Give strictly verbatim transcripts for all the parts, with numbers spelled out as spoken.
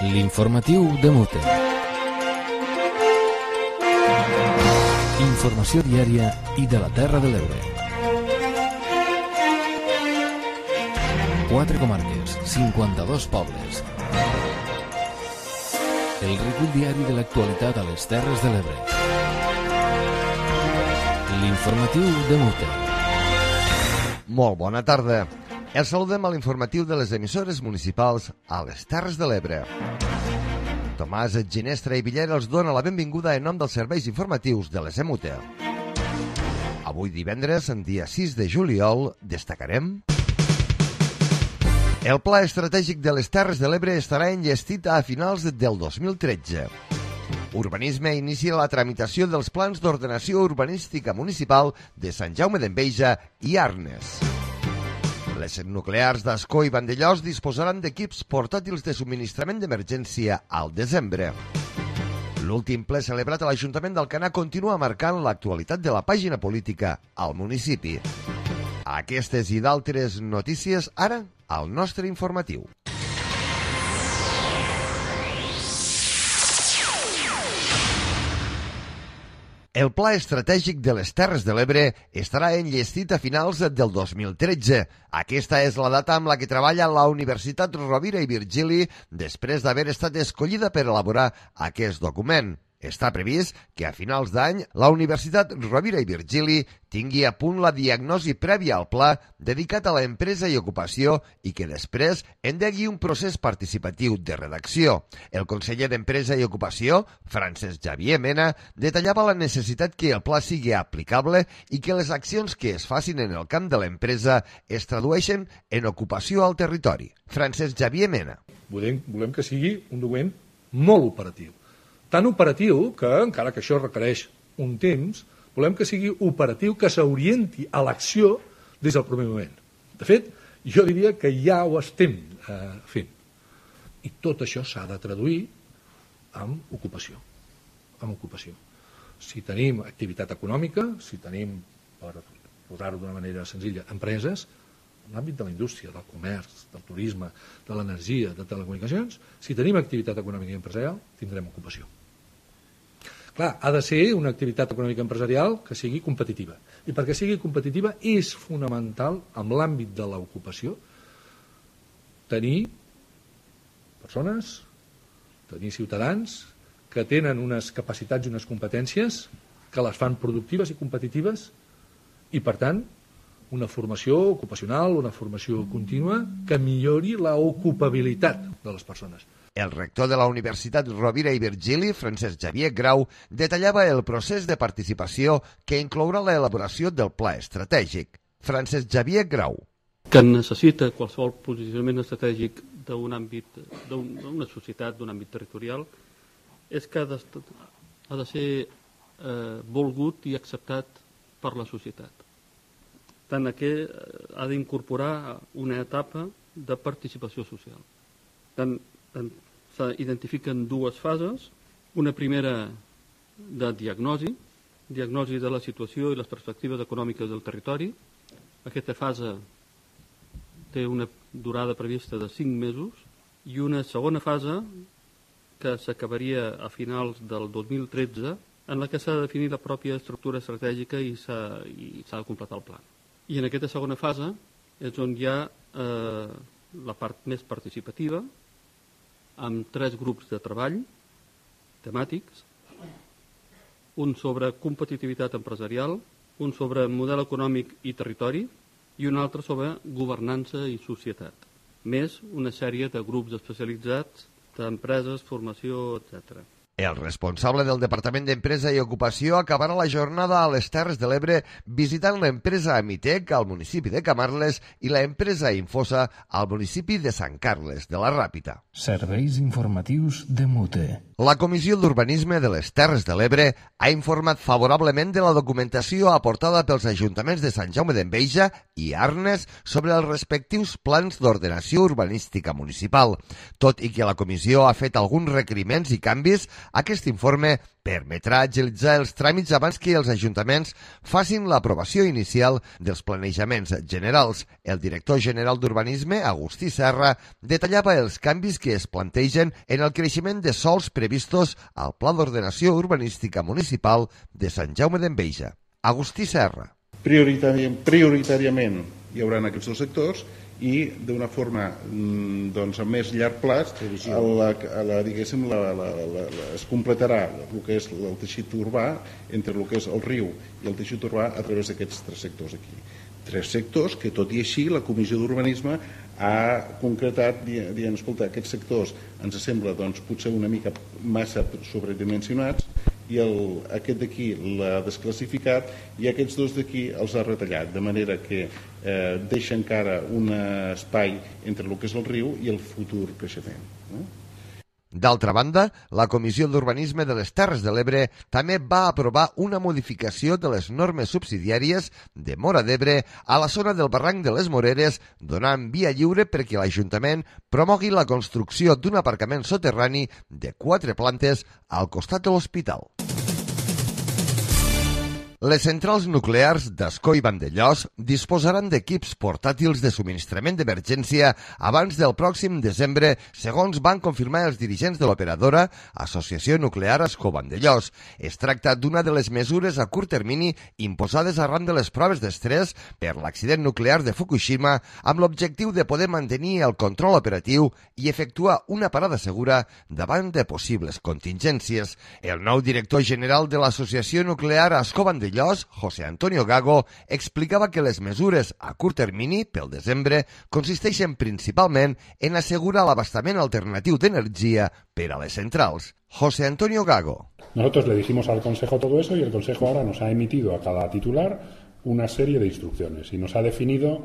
L'informatiu de Mute. Informació diària i de la Terra de l'Ebre. Quatre comarques, cinquanta-dos pobles. El recull diari de l'actualitat a les Terres de l'Ebre. L'informatiu de Mute. Molt bona tarda. Els saludem a l'informatiu de les emissores municipals a les Terres de l'Ebre. Tomàs Ginestra i Villera els dona la benvinguda en nom dels serveis informatius de les E M U T E. Avui divendres, en dia sis de juliol, destacarem... El Pla Estratègic de les Terres de l'Ebre estarà enllestit a finals del dos mil tretze. Urbanisme inicia la tramitació dels plans d'ordenació urbanística municipal de Sant Jaume d'Enveja i Arnes. Les nuclears d'Ascó i Vandellòs disposaran d'equips portàtils de subministrament d'emergència al desembre. L'últim ple celebrat a l'Ajuntament d'Alcanar continua marcant l'actualitat de la pàgina política al municipi. Aquestes i d'altres notícies ara al nostre informatiu. El Pla Estratègic de les Terres de l'Ebre estarà enllestit a finals del dos mil tretze. Aquesta és la data amb la que treballa la Universitat Rovira i Virgili després d'haver estat escollida per elaborar aquest document. Està previst que a finals d'any la Universitat Rovira i Virgili tingui a punt la diagnosi prèvia al pla dedicat a l'empresa i ocupació i que després endegui un procés participatiu de redacció. El conseller d'Empresa i Ocupació, Francesc Xavier Mena, detallava la necessitat que el pla sigui aplicable i que les accions que es facin en el camp de l'empresa es tradueixen en ocupació al territori. Francesc Xavier Mena. Volem, volem que sigui un document molt operatiu. Tan operatiu que, encara que això requereix un temps, volem que sigui operatiu, que s'orienti a l'acció des del primer moment. De fet, jo diria que ja ho estem eh, fent. I tot això s'ha de traduir en ocupació. En ocupació. Si tenim activitat econòmica, si tenim, per posar-ho d'una manera senzilla, empreses, en l'àmbit de la indústria, del comerç, del turisme, de l'energia, de telecomunicacions, si tenim activitat econòmica i empresarial, tindrem ocupació. Clar, ha de ser una activitat econòmica empresarial que sigui competitiva. I perquè sigui competitiva és fonamental, en l'àmbit de l'ocupació, tenir persones, tenir ciutadans que tenen unes capacitats i unes competències que les fan productives i competitives i, per tant, una formació ocupacional, una formació contínua que millori l'ocupabilitat de les persones. El rector de la Universitat Rovira i Virgili, Francesc Xavier Grau, detallava el procés de participació que inclourà l'elaboració del pla estratègic. Francesc Xavier Grau. Que necessita qualsevol posicionament estratègic d'un àmbit, d'una societat, d'un àmbit territorial, és que ha de, ha de ser eh, volgut i acceptat per la societat. Tant que ha d'incorporar una etapa de participació social. Tant s'identifiquen dues fases, una primera de diagnosi, diagnosi de la situació i les perspectives econòmiques del territori. Aquesta fase té una durada prevista de cinc mesos i una segona fase que s'acabaria a finals del dos mil tretze en la que s'ha de definir la pròpia estructura estratègica i s'ha de completar el pla. I en aquesta segona fase és on hi ha eh, la part més participativa, amb tres grups de treball temàtics, un sobre competitivitat empresarial, un sobre model econòmic i territori i un altre sobre governança i societat, més una sèrie de grups especialitzats d'empreses, formació, etcètera. El responsable del Departament d'Empresa i Ocupació acabarà la jornada a les Terres de l'Ebre visitant l'empresa Amitec al municipi de Camarles i l'empresa Infosa al municipi de Sant Carles de la Ràpita. Serveis informatius de Mute. La Comissió d'Urbanisme de les Terres de l'Ebre ha informat favorablement de la documentació aportada pels ajuntaments de Sant Jaume d'Enveja i Arnes sobre els respectius plans d'ordenació urbanística municipal. Tot i que la comissió ha fet alguns requeriments i canvis, Aquest informe permetrà agilitzar els tràmits abans que els ajuntaments facin l'aprovació inicial dels planejaments generals. El director general d'Urbanisme, Agustí Serra, detallava els canvis que es plantegen en el creixement de sòls previstos al Pla d'Ordenació Urbanística Municipal de Sant Jaume d'Enveja. Agustí Serra. Prioritari, prioritàriament hi haurà aquests dos sectors i d'una forma doncs, a més llarg plaç la, la, diguéssim, la, la, la, la, es completarà el que és el teixit urbà entre el que és el riu i el teixit urbà a través d'aquests tres sectors aquí. Tres sectors que, tot i així, la Comissió d'Urbanisme ha concretat dient, escolta, aquests sectors ens sembla doncs, potser una mica massa sobredimensionats i el, aquest d'aquí l'ha desclassificat i aquests dos d'aquí els ha retallat, de manera que eh, deixa encara un espai entre el que és el riu i el futur creixement. No? D'altra banda, la Comissió d'Urbanisme de les Terres de l'Ebre també va aprovar una modificació de les normes subsidiàries de Móra d'Ebre a la zona del barranc de les Moreres, donant via lliure perquè l'Ajuntament promogui la construcció d'un aparcament soterrani de quatre plantes al costat de l'hospital. Les centrals nuclears d'Ascó i Vandellòs disposaran d'equips portàtils de subministrament d'emergència abans del pròxim desembre, segons van confirmar els dirigents de l'operadora Associació Nuclear Ascó-Vandellòs. Es tracta d'una de les mesures a curt termini imposades arran de les proves d'estrès per l'accident nuclear de Fukushima amb l'objectiu de poder mantenir el control operatiu i efectuar una parada segura davant de possibles contingències. El nou director general de l'Associació Nuclear Ascó-Vandellòs, José Antonio Gago, explicava que les mesures a curt termini pel desembre consisteixen principalment en assegurar l'abastament alternatiu d'energia per a les centrals. José Antonio Gago. Nosotros le dijimos al Consejo todo eso y el Consejo ahora nos ha emitido a cada titular una serie de instrucciones y nos ha definido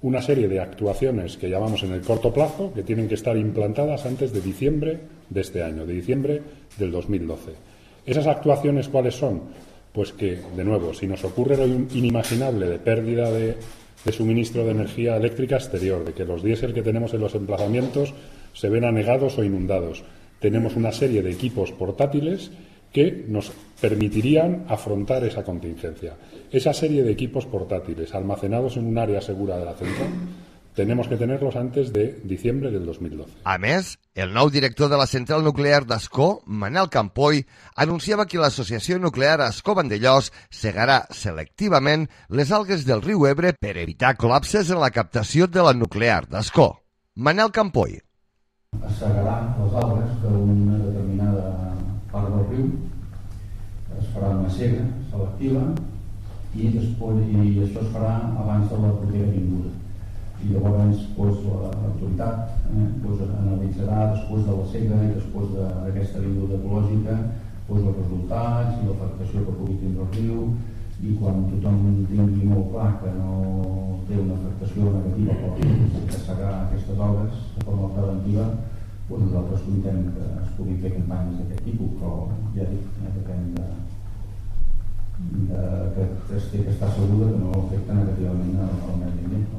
una serie de actuaciones que llamamos en el corto plazo que tienen que estar implantadas antes de diciembre de este año, de diciembre del dos mil doce. ¿Esas actuaciones cuáles son? Pues que, de nuevo, si nos ocurre lo inimaginable de pérdida de, de suministro de energía eléctrica exterior, de que los diésel que tenemos en los emplazamientos se ven anegados o inundados, tenemos una serie de equipos portátiles que nos permitirían afrontar esa contingencia. Esa serie de equipos portátiles almacenados en un área segura de la central tenemos que tenerlos antes de diciembre del dos mil doce. A més, el nou director de la central nuclear d'Ascó, Manel Campoy, anunciava que l'associació nuclear Ascó-Vandellòs segarà selectivament les algues del riu Ebre per evitar col·lapses en la captació de la nuclear d'Ascó. Manel Campoy. Es segarà les algues d'una determinada part del riu, es farà una sega selectiva i, després, i això es farà abans de la propera vinguda. I llavors pues, l'autoritat eh, pues, analitzarà després de la sega i després d'aquesta vinguda ecològica pues, els resultats i l'afectació que pugui tindre el riu i quan tothom tingui molt clar que no té una afectació negativa per al riu que segar aquestes algues de forma preventiva, pues, nosaltres contem que es pugui fer campanyes d'aquest tipus, però ja dic, eh, depèn de, de que es té que estar segur que no afecta negativament al medi ambient.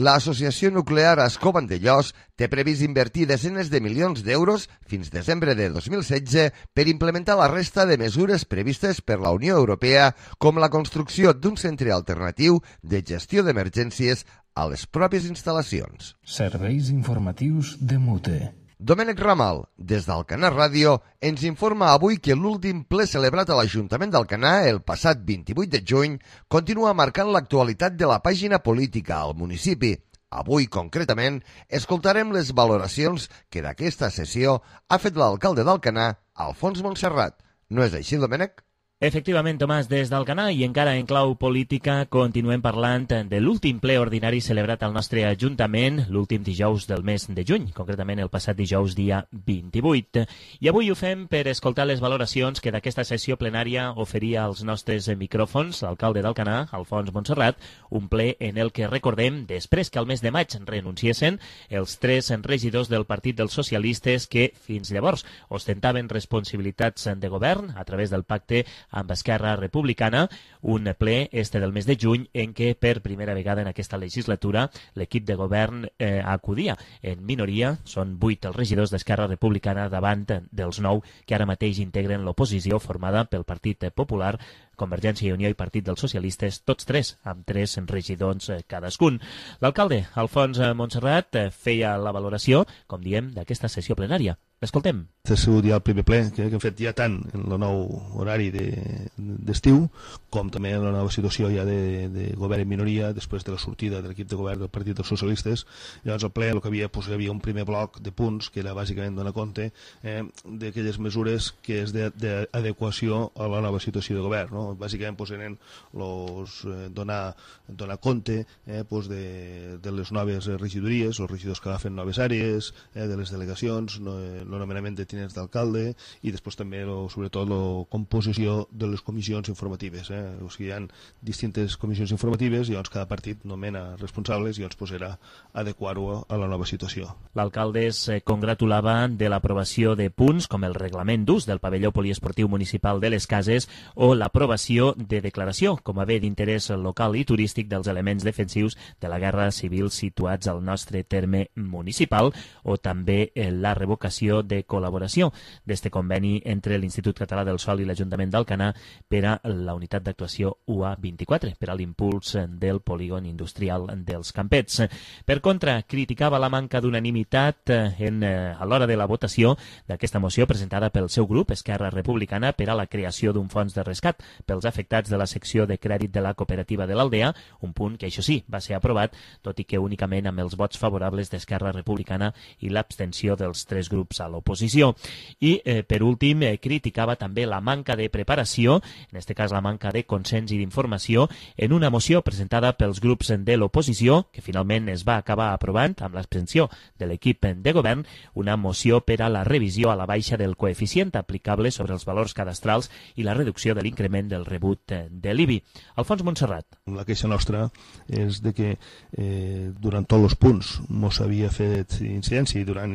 L'Associació Nuclear Ascó-Vandellòs té previst invertir desenes de milions d'euros fins desembre de dos mil setze per implementar la resta de mesures previstes per la Unió Europea, com la construcció d'un centre alternatiu de gestió d'emergències a les pròpies instal·lacions. Serveis informatius de Mute. Domènec Ramal, des d'Alcanar Ràdio, ens informa avui que l'últim ple celebrat a l'Ajuntament d'Alcanar el passat vint-i-vuit de juny continua marcant l'actualitat de la pàgina política al municipi. Avui, concretament, escoltarem les valoracions que d'aquesta sessió ha fet l'alcalde d'Alcanar, Alfons Montserrat. No és així, Domènec? Efectivament, Tomàs, des d'Alcanar i encara en clau política continuem parlant de l'últim ple ordinari celebrat al nostre Ajuntament l'últim dijous del mes de juny, concretament el passat dijous dia vint-i-vuit. I avui ho fem per escoltar les valoracions que d'aquesta sessió plenària oferia als nostres micròfons l'alcalde d'Alcanar, Alfons Montserrat, un ple en el que recordem, després que al mes de maig renunciessin els tres regidors del Partit dels Socialistes que fins llavors ostentaven responsabilitats de govern a través del pacte amb Esquerra Republicana, un ple este del mes de juny en què per primera vegada en aquesta legislatura l'equip de govern eh, acudia en minoria. Són vuit els regidors d'Esquerra Republicana davant dels nou que ara mateix integren l'oposició formada pel Partit Popular, Convergència i Unió i Partit dels Socialistes, tots tres amb tres regidors cadascun. L'alcalde Alfons Montserrat feia la valoració, com diem, d'aquesta sessió plenària. L'escoltem. Ha sigut ja el primer ple que hem fet ja tant en el nou horari d'estiu com també en la nova situació ja de, de govern en minoria després de la sortida de l'equip de govern del Partit dels Socialistes. Llavors el ple el que havia, doncs, hi havia un primer bloc de punts que era bàsicament donar compte eh, d'aquelles mesures que és d'adequació a la nova situació de govern, no? Bàsicament doncs, eren los, eh, donar, donar compte eh, doncs, de, de les noves regidories, els regidors que agafen noves àrees, eh, de les delegacions, no, el nomenament de tinents d'alcalde i després també, lo, sobretot, la composició de les comissions informatives. Eh? O sigui, hi ha distintes comissions informatives i llavors cada partit nomena responsables i llavors pues, era adequar-ho a la nova situació. L'alcalde es congratulava de l'aprovació de punts com el reglament d'ús del pavelló poliesportiu municipal de les Cases o l'aprovació de declaració com a bé d'interès local i turístic dels elements defensius de la guerra civil situats al nostre terme municipal o també la revocació de col·laboració d'este conveni entre l'Institut Català del Sòl i l'Ajuntament d'Alcanar per a la unitat d'actuació U A vint-i-quatre, per a l'impuls del polígon industrial dels Campets. Per contra, criticava la manca d'unanimitat en, a l'hora de la votació d'aquesta moció presentada pel seu grup, Esquerra Republicana, per a la creació d'un fons de rescat pels afectats de la secció de crèdit de la cooperativa de l'Aldea, un punt que, això sí, va ser aprovat, tot i que únicament amb els vots favorables d'Esquerra Republicana i l'abstenció dels tres grups a l'oposició. I, eh, per últim, eh, criticava també la manca de preparació, en aquest cas la manca de consens i d'informació, en una moció presentada pels grups de l'oposició, que finalment es va acabar aprovant amb l'abstenció de l'equip de govern, una moció per a la revisió a la baixa del coeficient aplicable sobre els valors cadastrals i la reducció de l'increment del rebut de l'I B I. Alfons Montserrat. La queixa nostra és de que eh, durant tots els punts mos havia fet incidència i durant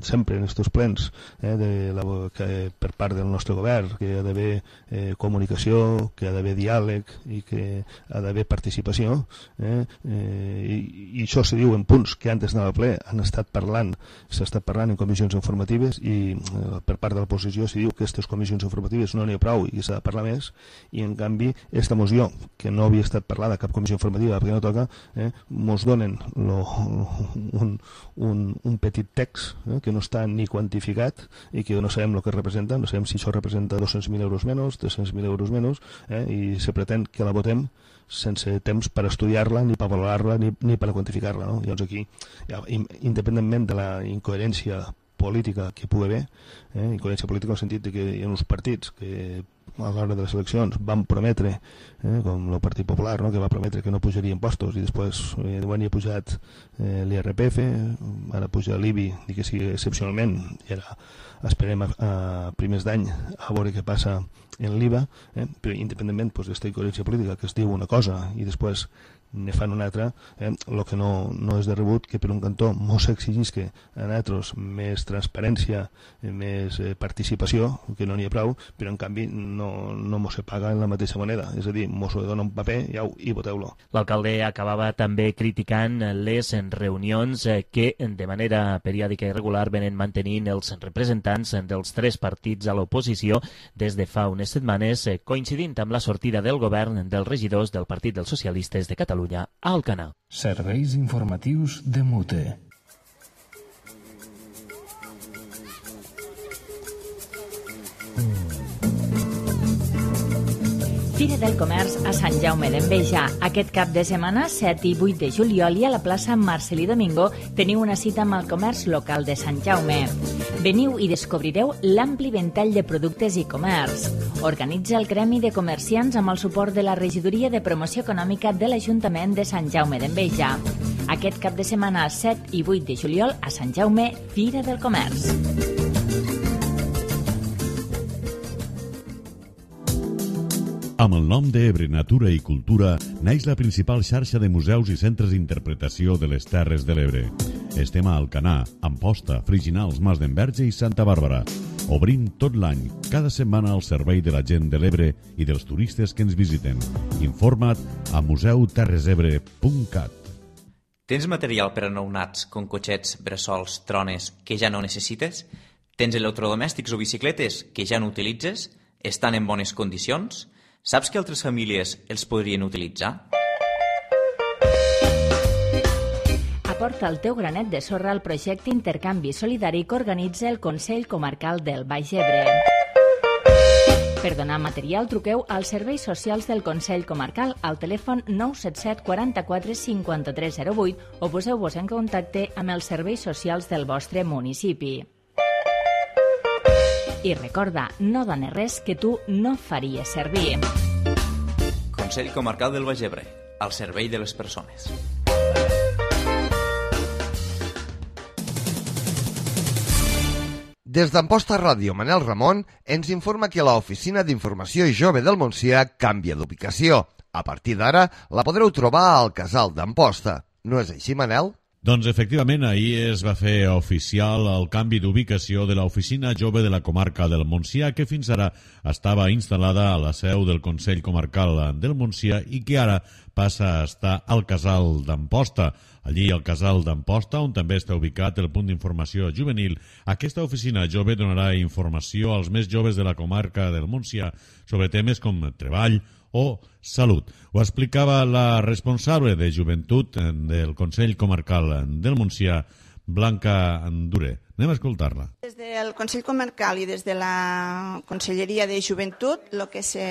sempre en aquests plens eh, de la, que, per part del nostre govern que hi ha d'haver eh, comunicació, que hi ha d'haver diàleg i que ha d'haver participació eh, eh, i, i això se diu en punts que antes anava al ple han estat parlant, s'ha estat parlant en comissions informatives i eh, per part de l'oposició se diu que aquestes comissions informatives no n'hi ha prou i que s'ha de parlar més i en canvi esta moció que no havia estat parlada a cap comissió informativa perquè no toca, eh, mos donen lo, un, un, un petit text eh, que no està ni quantificat i que no sabem el que representa, no sabem si això representa dos-cents mil euros menys, tres-cents mil euros menys eh, i se pretén que la votem sense temps per estudiar-la, ni per valorar-la, ni, ni per quantificar-la. No? Llavors aquí, ja, independentment de la incoherència política que pugui haver, eh, incoherència política en el sentit de que hi ha uns partits que a l'hora de les eleccions van prometre, eh, com el Partit Popular, no? que va prometre que no pujaria impostos i després eh, quan hi ha pujat eh, l'I R P F, ara puja l'I B I, i que sigui excepcionalment, i ara esperem a, a primers d'any a veure què passa en l'I V A, eh, però independentment doncs, d'esta incoherència política que es diu una cosa i després ne fan una altra, eh, el que no, no és de rebut que per un cantó mos exigís que a nosaltres més transparència, eh, més eh, participació, que no n'hi ha prou, però en canvi no, no mos se paga en la mateixa moneda, és a dir, mos ho dona un paper i, au, i voteu-lo. L'alcalde acabava també criticant les reunions que de manera periòdica i regular venen mantenint els representants dels tres partits a l'oposició des de fa unes setmanes, coincidint amb la sortida del govern dels regidors del Partit dels Socialistes de Catalunya a Alcanar. Serveis informatius de Mute. Fira del Comerç a Sant Jaume d'Enveja. Aquest cap de setmana, set i vuit de juliol, i a la plaça Marcelí Domingo teniu una cita amb el comerç local de Sant Jaume. Veniu i descobrireu l'ampli ventall de productes i comerç. Organitza el Gremi de Comerciants amb el suport de la Regidoria de Promoció Econòmica de l'Ajuntament de Sant Jaume d'Enveja. Aquest cap de setmana, set i vuit de juliol, a Sant Jaume, Fira del Comerç. Amb el nom d'Ebre Natura i Cultura naix la principal xarxa de museus i centres d'interpretació de les Terres de l'Ebre. Estem a Alcanar, Amposta, Friginals, Mas d'Enverge i Santa Bàrbara. Obrim tot l'any, cada setmana al servei de la gent de l'Ebre i dels turistes que ens visiten. Informa't a museu terres ebre punt cat. Tens material per a nounats com cotxets, bressols, trones que ja no necessites? Tens electrodomèstics o bicicletes que ja no utilitzes? Estan en bones condicions? Saps que altres famílies els podrien utilitzar? Aporta el teu granet de sorra al projecte Intercanvi Solidari que organitza el Consell Comarcal del Baix Ebre. Per donar material, truqueu als serveis socials del Consell Comarcal al telèfon nou set set quaranta-quatre cinquanta-tres zero vuit o poseu-vos en contacte amb els serveis socials del vostre municipi. I recorda, no dones res que tu no faries servir. Consell Comarcal del Baix Ebre, al servei de les persones. Des d'Amposta Ràdio, Manel Ramon ens informa que l'Oficina d'Informació Jove del Montsià canvia d'ubicació. A partir d'ara la podreu trobar al Casal d'Amposta. No és així, Manel? Doncs efectivament, ahir es va fer oficial el canvi d'ubicació de l'Oficina Jove de la Comarca del Montsià, que fins ara estava instal·lada a la seu del Consell Comarcal del Montsià i que ara passa a estar al Casal d'Amposta. Allí, al Casal d'Amposta, on també està ubicat el punt d'informació juvenil, aquesta oficina jove donarà informació als més joves de la comarca del Montsià sobre temes com treball o salut. Ho explicava la responsable de joventut del Consell Comarcal del Montsià, Blanca Andure. Anem a escoltar-la. Des del Consell Comarcal i des de la Conselleria de Joventut, el que se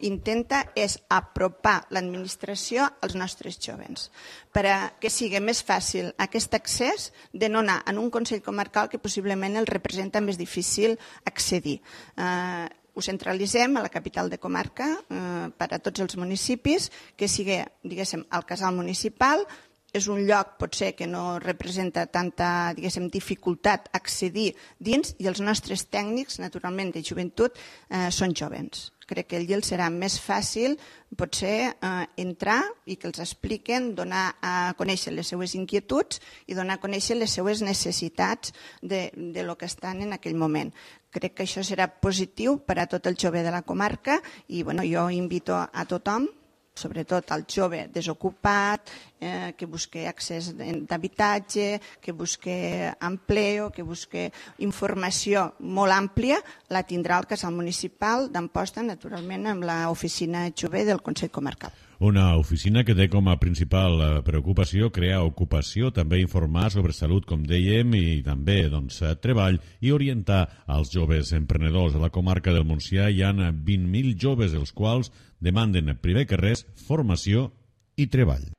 intenta és apropar l'administració als nostres jóvens per a que sigui més fàcil aquest accés de no anar en un Consell Comarcal que possiblement el representa més difícil accedir. Eh, ho centralitzem a la capital de comarca eh, per a tots els municipis, que sigui, diguéssim, el casal municipal. És un lloc, potser, que no representa tanta, diguéssim, dificultat accedir dins i els nostres tècnics, naturalment, de joventut, eh, són jovens. Crec que allí els serà més fàcil, potser, eh, entrar i que els expliquen, donar a conèixer les seues inquietuds i donar a conèixer les seues necessitats de, de lo que estan en aquell moment. Crec que això serà positiu per a tot el jove de la comarca i bueno, jo invito a tothom, sobretot al jove desocupat, eh, que busque accés d'habitatge, que busque empleo, que busque informació molt àmplia, la tindrà al casal municipal d'Amposta, naturalment amb l'oficina jove del Consell Comarcal. Una oficina que té com a principal preocupació crear ocupació, també informar sobre salut, com dèiem, i també doncs, treball i orientar els joves emprenedors. A la comarca del Montsià hi ha vint mil joves, els quals demanden, primer que res, formació i treball.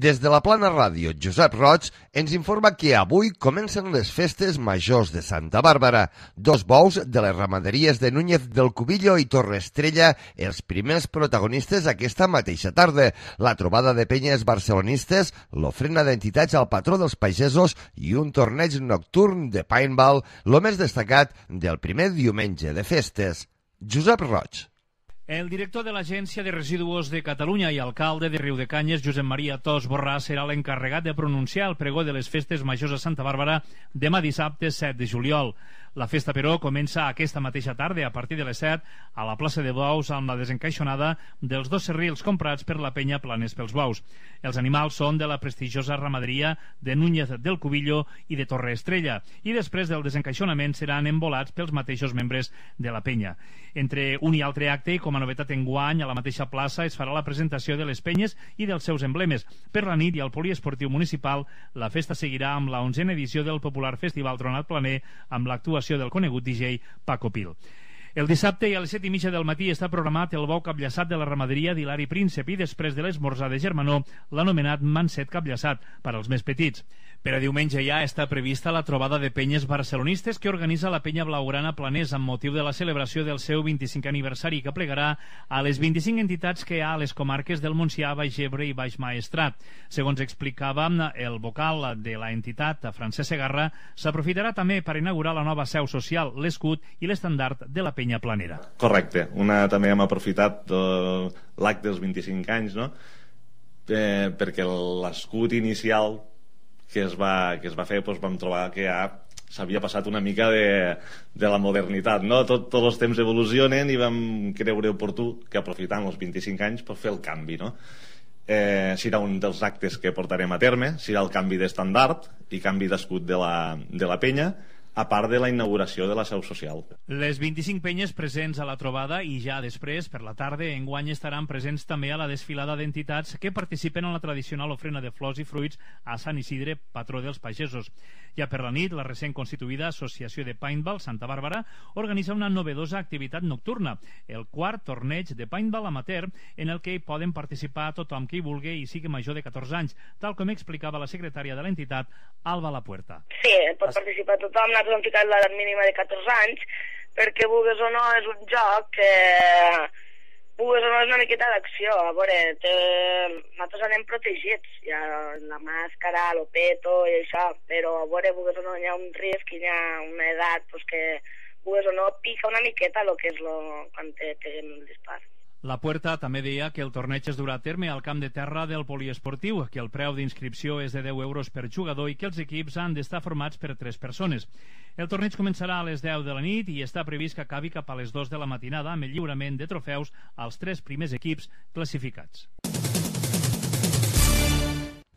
Des de la Plana Ràdio, Josep Roig ens informa que avui comencen les festes majors de Santa Bàrbara. Dos bous de les ramaderies de Núñez del Cubillo i Torre Estrella, els primers protagonistes aquesta mateixa tarda. La trobada de penyes barcelonistes, l'ofrena d'entitats al patró dels pagesos i un torneig nocturn de paintball, el més destacat del primer diumenge de festes. Josep Roig. El director de l'Agència de Residus de Catalunya i alcalde de Riudecanyes, Josep Maria Tos Borràs, serà l'encarregat de pronunciar el pregó de les festes majors a Santa Bàrbara demà dissabte set de juliol. La festa, però, comença aquesta mateixa tarda, a partir de les set, a la plaça de Bous, amb la desencaixonada dels dos serrils comprats per la penya Planes pels Bous. Els animals són de la prestigiosa ramaderia de Núñez del Cubillo i de Torre Estrella, i després del desencaixonament seran embolats pels mateixos membres de la penya. Entre un i altre acte, com a novetat enguany, a la mateixa plaça es farà la presentació de les penyes i dels seus emblemes. Per la nit i al poliesportiu municipal, la festa seguirà amb la onzena edició del popular Festival Tronat Planer, amb l'actuació del conegut D J Paco Pil. El dissabte i a les set i mitja del matí està programat el bou capllaçat de la ramaderia d'Hilari Príncep i després de l'esmorzar de Germanó l'anomenat manset capllaçat per als més petits. Per a diumenge ja està prevista la trobada de penyes barcelonistes que organitza la penya blaugrana Planès amb motiu de la celebració del seu vint-i-cinquè aniversari que plegarà a les vint-i-cinc entitats que hi ha a les comarques del Montsià, Baix Ebre i Baix Maestrat. Segons explicava el vocal de la entitat, Francesc Segarra, s'aprofitarà també per inaugurar la nova seu social, l'escut i l'estandard de la penya penya planera. Correcte. Una, també hem aprofitat eh, l'acte dels vint-i-cinc anys, no? Eh, perquè l'escut inicial que es va, que es va fer, doncs vam trobar que ja s'havia passat una mica de, de la modernitat, no? Tot, tots els temps evolucionen i vam creure oportú que aprofitant els vint-i-cinc anys per fer el canvi, no? Eh, serà un dels actes que portarem a terme, serà el canvi d'estandard i canvi d'escut de la, de la penya, a part de la inauguració de la seu social. Les vint-i-cinc penyes presents a la trobada i ja després, per la tarda, enguany estaran presents també a la desfilada d'entitats que participen en la tradicional ofrena de flors i fruits a Sant Isidre, patró dels pagesos. Ja per la nit, la recent constituïda Associació de Paintball Santa Bàrbara organitza una novedosa activitat nocturna, el quart torneig de paintball amateur, en el que hi poden participar tothom que hi vulgui i sigui major de catorze anys, tal com explicava la secretària de l'entitat, Alba Lapuerta. Sí, pot participar tothom. Nosaltres hem ficat l'edat mínima de catorze anys perquè, vulguis o no, és un joc que, vulguis o no, és una miqueta d'acció. A veure, té... nosaltres anem protegits, hi ha la màscara, l'opeto i això, però a veure, vulguis o no, hi ha un risc, hi ha una edat pues, que, vulguis o no, pica una miqueta el que és lo... quan te peguen el dispar. La Puerta també deia que el torneig es durà a terme al camp de terra del poliesportiu, que el preu d'inscripció és de deu euros per jugador i que els equips han d'estar formats per tres persones. El torneig començarà a les deu de la nit i està previst que acabi cap a les dues de la matinada amb el lliurament de trofeus als tres primers equips classificats.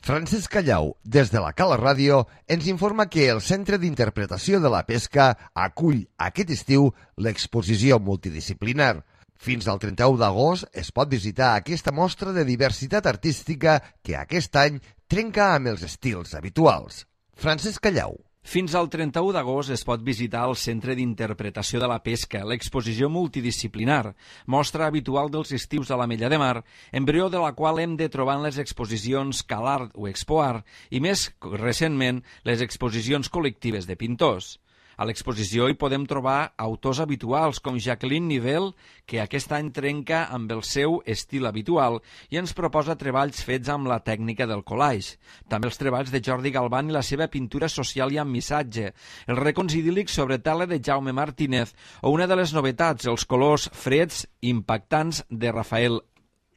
Francesc Callau, des de la Cala Ràdio, ens informa que el Centre d'Interpretació de la Pesca acull aquest estiu l'exposició multidisciplinar. Fins al trenta-u d'agost es pot visitar aquesta mostra de diversitat artística que aquest any trenca amb els estils habituals. Francesc Callau. Fins al trenta-u d'agost es pot visitar el Centre d'Interpretació de la Pesca, l'exposició multidisciplinar, mostra habitual dels estius a l'Ametlla de Mar, embrió de la qual hem de trobar en les exposicions CalArt o ExpoArt i, més recentment, les exposicions col·lectives de pintors. A l'exposició hi podem trobar autors habituals com Jacqueline Nivel, que aquest any trenca amb el seu estil habitual i ens proposa treballs fets amb la tècnica del collage. També els treballs de Jordi Galván i la seva pintura social i amb missatge, els racons idíl·lics sobre tela de Jaume Martínez o una de les novetats, els colors freds impactants de Rafael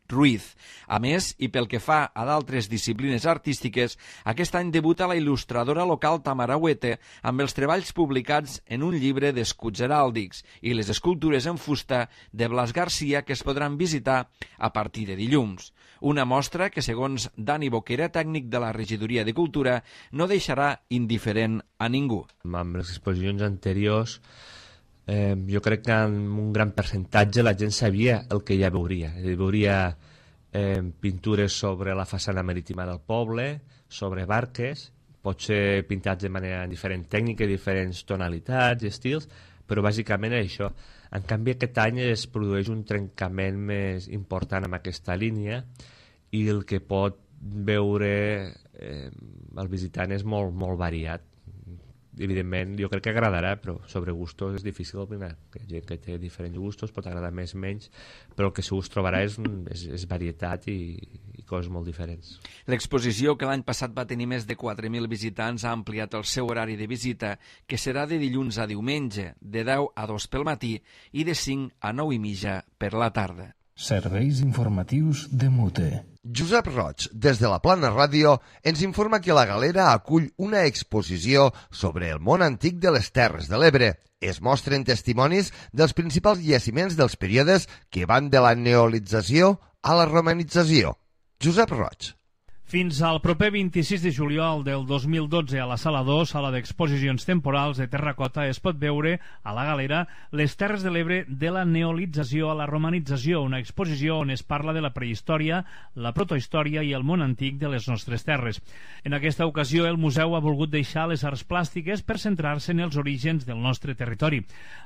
Ruiz. A més, i pel que fa a d'altres disciplines artístiques, aquest any debuta la il·lustradora local Tamara Huete amb els treballs publicats en un llibre d'escuts heràldics i les escultures en fusta de Blas Garcia que es podran visitar a partir de dilluns. Una mostra que, segons Dani Boquera, tècnic de la Regidoria de Cultura, no deixarà indiferent a ningú. Amb les exposicions anteriors Eh, jo crec que en un gran percentatge la gent sabia el que ja veuria. Veuria eh, pintures sobre la façana marítima del poble, sobre barques, potser pintats de manera diferent tècnica, diferents tonalitats i estils, però bàsicament això. En canvi, aquest any es produeix un trencament més important amb aquesta línia i el que pot veure eh, el visitant és molt, molt variat. Evidentment, jo crec que agradarà, però sobre gustos és difícil opinar. Hi ha gent que té diferents gustos, pot agradar més o menys, però el que segur es trobarà és, és, és varietat i, i coses molt diferents. L'exposició, que l'any passat va tenir més de quatre mil visitants, ha ampliat el seu horari de visita, que serà de dilluns a diumenge, de deu a dos pel matí i de cinc a nou i mitja per la tarda. Serveis informatius de Mute. Josep Roig, des de la Plana Ràdio, ens informa que la Galera acull una exposició sobre el món antic de les Terres de l'Ebre. Es mostren testimonis dels principals jaciments dels períodes que van de la neolització a la romanització. Josep Roig. Fins al proper vint-i-sis de juliol del dos mil dotze a la Sala dos, sala d'exposicions temporals de terracota, es pot veure a la Galera les Terres de l'Ebre de la neolització a la romanització, una exposició on es parla de la prehistòria, la protohistòria i el món antic de les nostres terres. En aquesta ocasió, el museu ha volgut deixar les arts plàstiques per centrar-se en els orígens del nostre territori.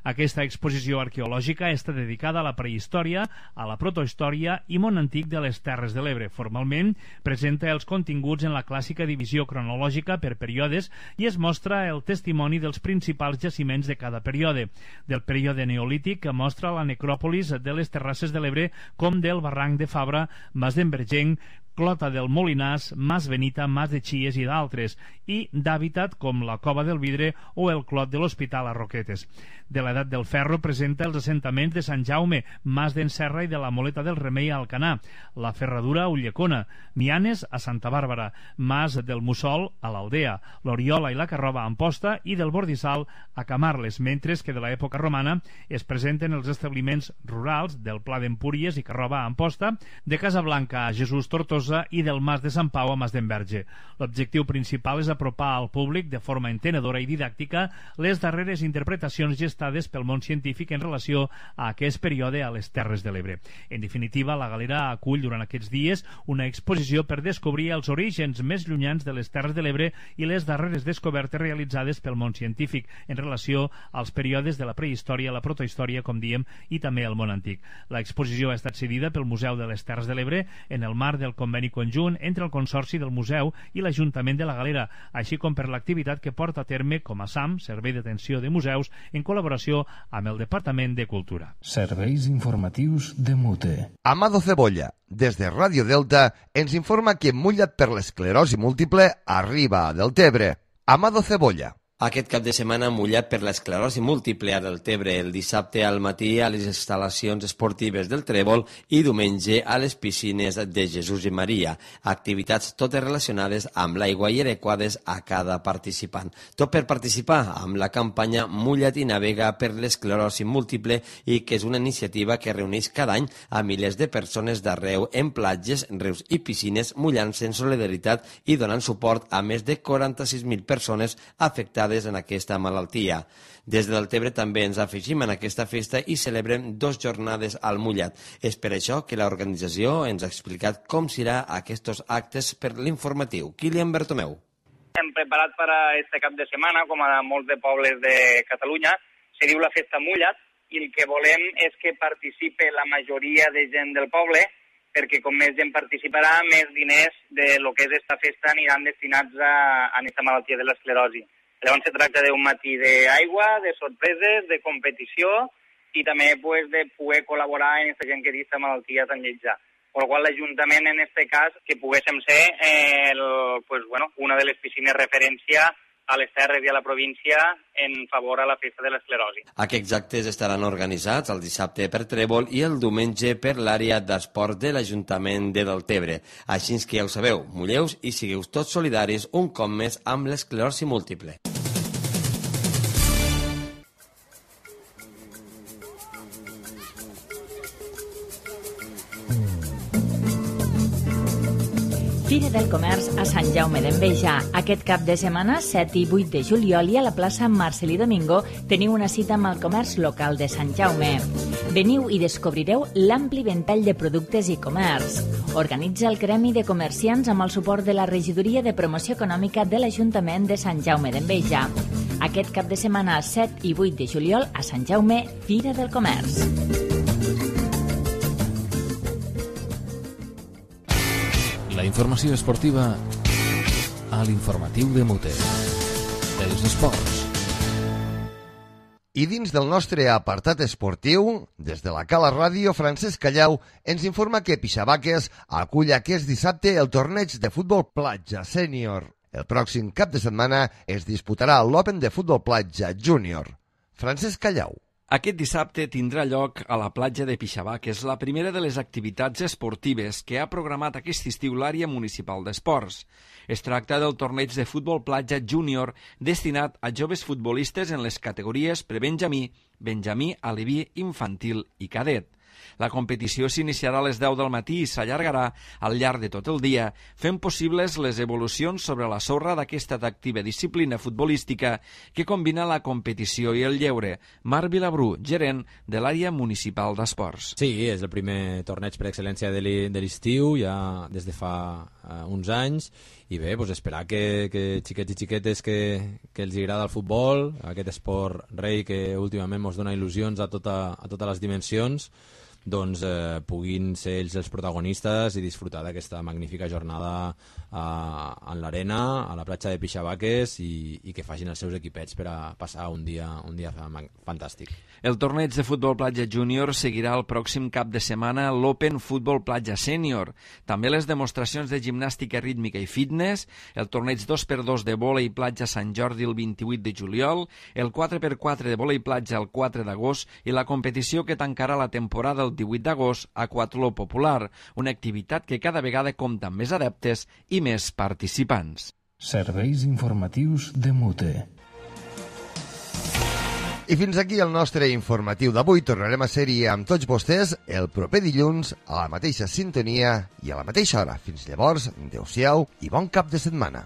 Aquesta exposició arqueològica està dedicada a la prehistòria, a la protohistòria i món antic de les Terres de l'Ebre. Formalment, presenta els continguts en la clàssica divisió cronològica per períodes i es mostra el testimoni dels principals jaciments de cada període. Del període neolític, que mostra la necròpolis de les Terrasses de l'Ebre com del barranc de Fabra, Mas d'Envergenc, Clota del Molinàs, Mas Benita, Mas de Xies i d'altres, i d'hàbitat com la Cova del Vidre o el Clot de l'Hospital a Roquetes. de l'edat del ferro presenta els assentaments de Sant Jaume, Mas d'en Serra i de la Moleta del Remei a Alcanar, la Ferradura a Ullecona, Mianes a Santa Bàrbara, Mas del Mussol a l'Aldea, l'Oriola i la Carrova a Amposta i del Bordissal a Camarles, mentre que de l'època romana es presenten els establiments rurals del Pla d'Empúries i Carrova a Amposta, de Casablanca a Jesús Tortosa i del Mas de Sant Pau a Mas d'Enverge. L'objectiu principal és apropar al públic de forma entenedora i didàctica les darreres interpretacions gestades pel món científic en relació a aquest període a les Terres de l'Ebre. En definitiva, la Galera acull durant aquests dies una exposició per descobrir els orígens més llunyans de les Terres de l'Ebre i les darreres descobertes realitzades pel món científic en relació als períodes de la prehistòria, la protohistòria, com diem, i també el món antic. L'exposició ha estat cedida pel Museu de les Terres de l'Ebre en el marc del conveni conjunt entre el Consorci del Museu i l'Ajuntament de la Galera, així com per l'activitat que porta a terme com a S A M, Servei d'Atenció de Museus, en col·laboració amb el Departament de Cultura. Serveis informatius de Mute. Amado Cebolla, des de Ràdio Delta, ens informa que mullat per l'esclerosi múltiple arriba a Deltebre. Amado Cebolla. Aquest cap de setmana mullat per l'esclerosi múltiple a Deltebre, el dissabte al matí a les instal·lacions esportives del Trèvol i diumenge a les piscines de Jesús i Maria. Activitats totes relacionades amb l'aigua i adequades a cada participant. Tot per participar amb la campanya Mulla't i navega per l'esclerosi múltiple i que és una iniciativa que reuneix cada any a milers de persones d'arreu en platges, rius i piscines mullant-se en solidaritat i donant suport a més de quaranta-sis mil persones afectades en aquesta malaltia. Des de Deltebre també ens afegim en aquesta festa i celebrem dos jornades al mullat. És per això que l'organització ens ha explicat com serà aquests actes per l'informatiu. Kilian Bertomeu. Hem preparat per a este cap de setmana, com a molts de pobles de Catalunya, se diu la Festa Mullat i el que volem és que participe la majoria de gent del poble perquè com més gent participarà, més diners de lo que és esta festa aniran destinats a, a aquesta malaltia de l'esclerosi. Llavors se tracta d'un matí d'aigua, de sorpreses, de competició i també pues, de poder col·laborar en aquesta gent que té aquesta malaltia tan lletja. Per la qual l'Ajuntament, en aquest cas, que poguéssim ser eh, el, pues, bueno, una de les piscines referència a les terres i a la província en favor a la festa de l'esclerosi. Aquests actes estaran organitzats el dissabte per Trèvol i el diumenge per l'àrea d'esport de l'Ajuntament de Deltebre. Així que ja ho sabeu, mulleu i sigueu tots solidaris un cop més amb l'esclerosi múltiple. Fira del Comerç a Sant Jaume d'Enveja. Aquest cap de setmana, set i vuit de juliol, i a la plaça Marcelí Domingo teniu una cita amb el comerç local de Sant Jaume. Veniu i descobrireu l'ampli ventall de productes i comerç. Organitza el Gremi de Comerciants amb el suport de la Regidoria de Promoció Econòmica de l'Ajuntament de Sant Jaume d'Enveja. Aquest cap de setmana, set i vuit de juliol, a Sant Jaume, Fira del Comerç. La informació esportiva a l'informatiu de Mute. Els esports. I dins del nostre apartat esportiu, des de la Cala Ràdio, Francesc Callau ens informa que Pixabaques acull aquest dissabte el torneig de futbol platja sènior. El pròxim cap de setmana es disputarà l'Open de futbol platja júnior. Francesc Callau. Aquest dissabte tindrà lloc a la platja de Pixabaques la primera de les activitats esportives que ha programat aquest estiu l'àrea municipal d'esports. Es tracta del torneig de futbol platja júnior destinat a joves futbolistes en les categories prebenjamí, benjamí, aleví, infantil i cadet. La competició s'iniciarà a les deu del matí i s'allargarà al llarg de tot el dia, fent possibles les evolucions sobre la sorra d'aquesta atractiva disciplina futbolística que combina la competició i el lleure. Marc Vilabrú, gerent de l'àrea municipal d'esports. Sí, és el primer torneig per excel·lència de l'estiu, ja des de fa uh, uns anys, i bé, doncs esperar que, que xiquets i xiquetes que, que els agrada el futbol, aquest esport rei que últimament ens dona il·lusions a, tota, a totes les dimensions, doncs, eh, puguin ser ells els protagonistes i disfrutar d'aquesta magnífica jornada a, en l'arena, a la platja de Pixabaques, i, i que facin els seus equipets per a passar un dia, un dia fantàstic. El torneig de futbol platja júnior seguirà el pròxim cap de setmana l'Open Futbol Platja Sènior. També les demostracions de gimnàstica rítmica i fitness, el torneig dos per dos de vòlei platja Sant Jordi el vint-i-vuit de juliol, el quatre per quatre de vòlei platja el quatre d'agost i la competició que tancarà la temporada el divuit d'agost a Aquatló Popular, una activitat que cada vegada compta amb més adeptes i més participants. Serveis informatius de Mute. I fins aquí el nostre informatiu d'avui. Tornarem a ser-hi amb tots vostès el proper dilluns a la mateixa sintonia i a la mateixa hora. Fins llavors, adeu-siau i bon cap de setmana.